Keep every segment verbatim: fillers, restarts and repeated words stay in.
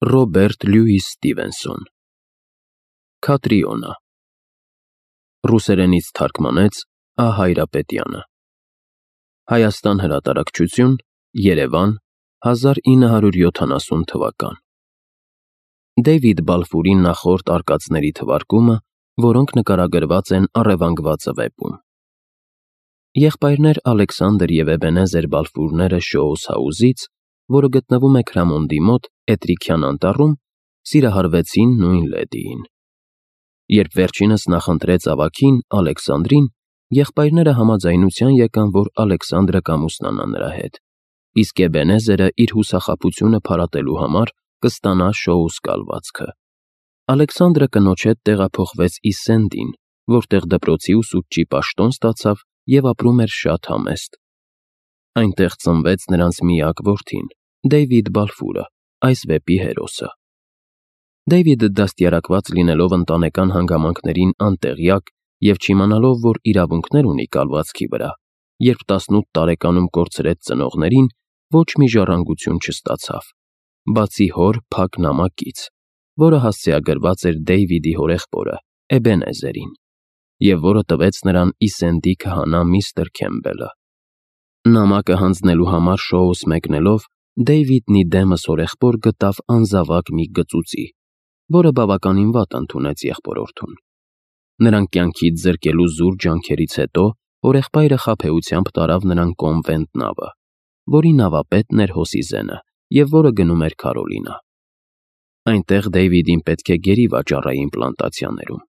Ռոբերտ Լյուիս Ստիվենսոն Քատրիոնա Ռուսերենից թարգմանեց Ա. Հայրապետյանը Հայաստան հրատարակչություն Երևան հազար ինը հարյուր յոթանասուն թվական Դեյվիդ Բալֆուրի նախորդ արկածների թվարկումը, որոնք նկարագրված են առևանգվածը վեպում Եղբայրներ Ալեքսանդր և Էբենեզեր Բալֆուրները Շոուս Հաուսից, որը գտնվում է Քրամոնդի մոտ Էտրիքյան անտառում, սիրահարվեցին նույն լեդիին։ Երբ վերջինս նախընտրեց ավագին Ալեքսանդրին, եղբայրները համաձայնության եկան, որ Ալեքսանդրը կամուսնանա նրա հետ, իսկ Էբենեզերը իր հուսախաբությունը փարատելու համար կստանա Շոուս կալվածքը։ Ալեքսանդրը կնոջ հետ տեղափոխվեց Իսսենդին, որտեղ դպրոցի ուսուցչի պաշտոն ստացավ և ապրում էր շատ համեստ։ Այնտեղ ծնվեց նրանց միակ որդին՝ Դեյվիդ Բալֆուրը, այս վեպի հերոսը։ Դեյվիդը դաստիարակված լինելով ընտանեկան հանգամանքներին անտեղյակ և չիմանալով, որ իրավունքներ ունի կալվածքի վրա, երբ տասնութ տարեկանում կորցրեց ծնողներին, ոչ մի ժառանգություն չստացավ, բացի հոր փակ նամակից, որը հասցեագրված էր Դեյվիդի հորեղբորը՝ Էբենեզերին, և որը տվեց նրան Իսսենդի քահանա միստր Քեմբելը։ Նամակը հանձնելու համար Շոուս մեկնելով, Դեյվիդն ի դեմս հորեղբոր գտավ անզավակ մի գծուծի, որը բավականին վատ ընդունեց եղբորորդուն։ Նրան կյանքից զրկելու զուր ջանքերից հետո հորեղբայրը խաբեությամբ տարավ նրան կոնվենտ նավը, որի նավապետն էր Հոսիզենը և որը գնում էր Քարոլինա։ Այնտեղ Դեյվիդին պետք է գերի վաճառային պլանտացիաներում։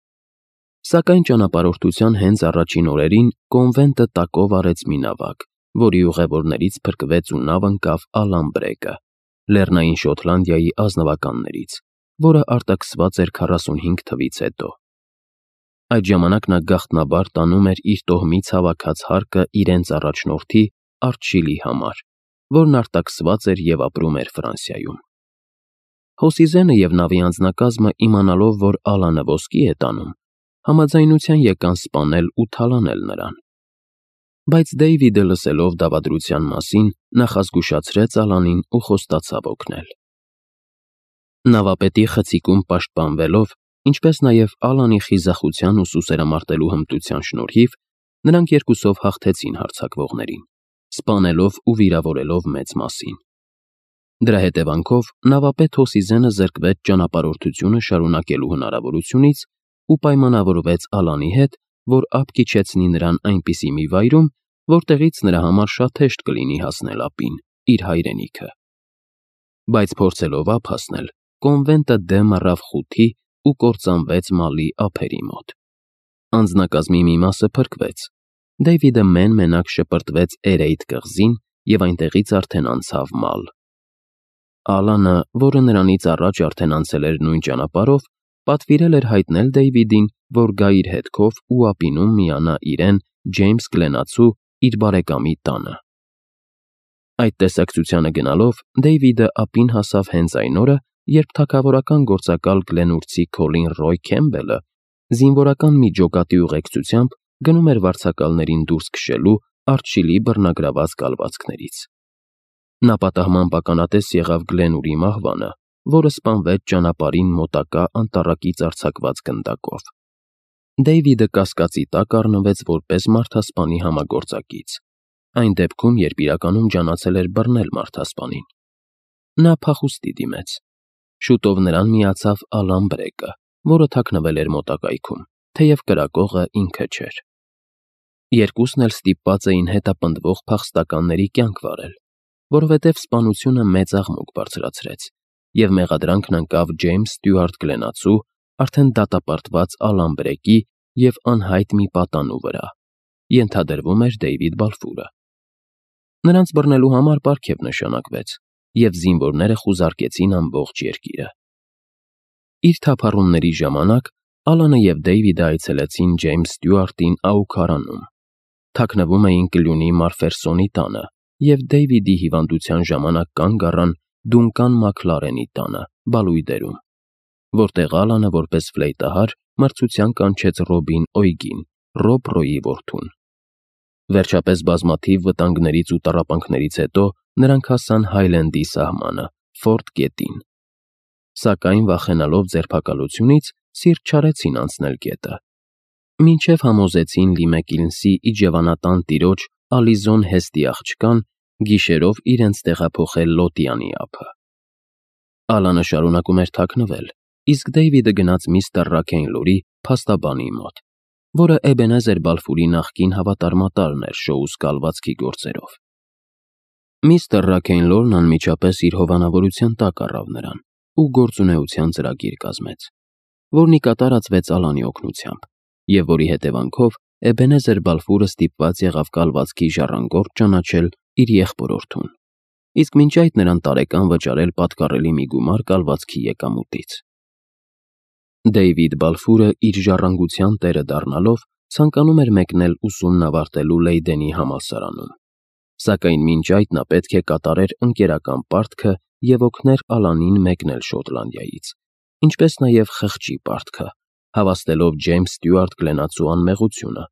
Սակայն ճանապարհորդության հենց առաջին օրերին կոնվենտը տակով արեց մի նավակ, որի ուղևորներից փրկվեց ու նավ ընկավ Ալամբրեկը, Լեռնային Շոտլանդիայի ազնվականներից, որը արտաքսված էր քառասունհինգ թվից հետո։ Այդ ժամանակ նա գաղտնաբար տանում էր իր տոհմից հավաքած հարկը իրենց առաջնորդի՝ Արչիլի համար, որն արտաքսված էր և ապրում էր Ֆրանսիայում։ Հոսիզենը և նավի անձնակազմը, իմանալով, որ Ալանը ոսկի է տանում, համաձայնության եկան սպանել ու թալանել նրան։ Բայց Դեյվիդը, լսելով դավադրության մասին, նախազգուշացրեց Ալանին ու խոստացավ օգնել։ Նավապետի խցիկում պաշտպանվելով, ինչպես նաև Ալանի խիզախության ու սուսերամարտելու հմտության շնորհիվ, նրանք երկուսով հաղթեցին հարձակվողներին, սպանելով ու վիրավորելով մեծ մասին։ Դրա հետևանքով նավապետ Հոսիզենը զրկվեց ճանապարհորդությունը շարունակելու հնարավորությունից ու պայմանավորվեց Ալանի հետ, որ ափ քիչեցնի նրան այնպիսի մի վայրում, որտեղից նրա համար շատ հեշտ կլինի հասնել ափին, իր հայրենիքը։ Բայց փորձելով ափ հասնել, կոնվենտը դեմ առավ խութի ու կործանվեց Մալի ափերի մոտ։ Անձնակազմի մի մասը փրկվեց։ Դեյվիդը մեն-մենակ շպրտվեց Էրեյդ կղզին և այնտեղից արդեն անցավ Մալ։ Ալանը, որը նրանից առաջ արդեն անցել էր նույն ճանապարհով, պատվիրել էր հայտնել Դեյվիդին, որ գա իր հետքով ու ափինում միանա իրեն Ջեյմս Գլենացու իր բարեկամի տանը։ Այդ տեսակցությանը գնալով, Դեյվիդը ափին հասավ հենց այն օրը, երբ թագավորական գործակալ գլենուրցի Քոլին Ռոյ Քեմբելը զինվորական մի ջոկատի ուղեկցությամբ գնում էր վարձակալներին դուրս քշելու Արչիլի բռնագրաված կալվածքներից։ Նա պատահմամբ ականատես եղավ Գլենուրի մահվանը, որը սպանվեց ճանապարհին մոտակա անտառակից արձակված գնդակով։ Դեյվիդը կասկածի տակ առնվեց որպես մարդասպանի համագործակից, այն դեպքում, երբ իրականում ջանացել էր բռնել մարդասպանին։ Նա փախուստի դիմեց։ Շուտով նրան միացավ Ալամբրեկը, որը թաքնվել էր մոտակայքում, թեև կրակողը ինքը չէր։ Երկուսն էլ ստիպված էին հետապնդվող փախստականների կյանք վարել, որովհետև սպանությունը մեծ աղմուկ բարձրացրեց, և մեղադրանքն ընկավ Ջեյմս Ստյուարտ Գլենացու, արդեն դատապարտված Ալամբրեկի և անհայտ մի պատանու վրա, ենթադրվում էր Դեյվիդ Բալֆուրը։ Նրանց բռնելու համար պարգև նշանակվեց, և զինվորները խուզարկեցին ամբողջ երկիրը։ Իր թափառումների ժամանակ Ալանը և Դեյվիդը այցելեցին Ջեյմս Ստյուարտին Աուքարանում, թաքնվում էին կլյունի Մարֆերսոնի տանը և Դեյվիդի հիվանդության ժամանակ կանգ առան Դունկան Մաքլարենի տանը, Բալույդերում, որտեղ Ալանը որպես ֆլեյտահար մրցության կանչեց Ռոբին Օյգին, Ռոբ Ռոյի որդուն։ Վերջապես բազմաթիվ վտանգներից ու տառապանքներից հետո նրանք հասան Հայլենդի սահմանը, Ֆորտ Գետին։ սակայն վախենալով ձերբակալությունից սիրտ չարեցին անցնել գետը, մինչև համոզեցին Լիմեկիլնսի իջևանատան տիրոջ Ալիզոն Հեստի աղջկան գիշերով իրենց տեղափոխել Լոտյանի ափը։ Ալանը շարունակում էր թաքնվել, իսկ Դեյվիդը գնաց միստր Ռաքեյնլորի փաստաբանի մոտ, որը Էբենեզեր Բալֆուրի նախկին հավատարմատարն էր Շոուս կալվածքի գործերով։ Միստր Ռաքեյնլորն անմիջապես իր հովանավորության տակ առավ նրան ու գործունեության ծրագիր կազմեց, որն ի կատար ածվեց Ալանի օգնությամբ, և որի հետևանքով Էբենեզեր Բալֆուրը ստիպված եղավ կալվածքի ժառանգորդ ճանաչել իր եղբորորդուն, իսկ մինչ այդ նրան տարեկան վճարել պատկառելի մի գումար կալվածքի եկամուտից։ Դեյվիդ Բալֆուրը իր ժառանգության տերը դառնալով ցանկանում էր մեկնել ուսումն ավարտելու Լեյդենի համալսարանում, սակայն մինչ այդ նա պետք է կատարեր ընկերական պարտքը և օգներ Ալանին մեկնել Շոտլանդիայից, ինչպես նաև խղճի պարտքը, հավաստելով Ջեյմս Ստյուարտ Գլենացու անմեղությունը,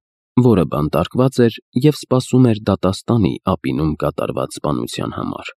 որը բանտարկված էր և սպասում էր դատաստանի ափինում կատարված սպանության համար։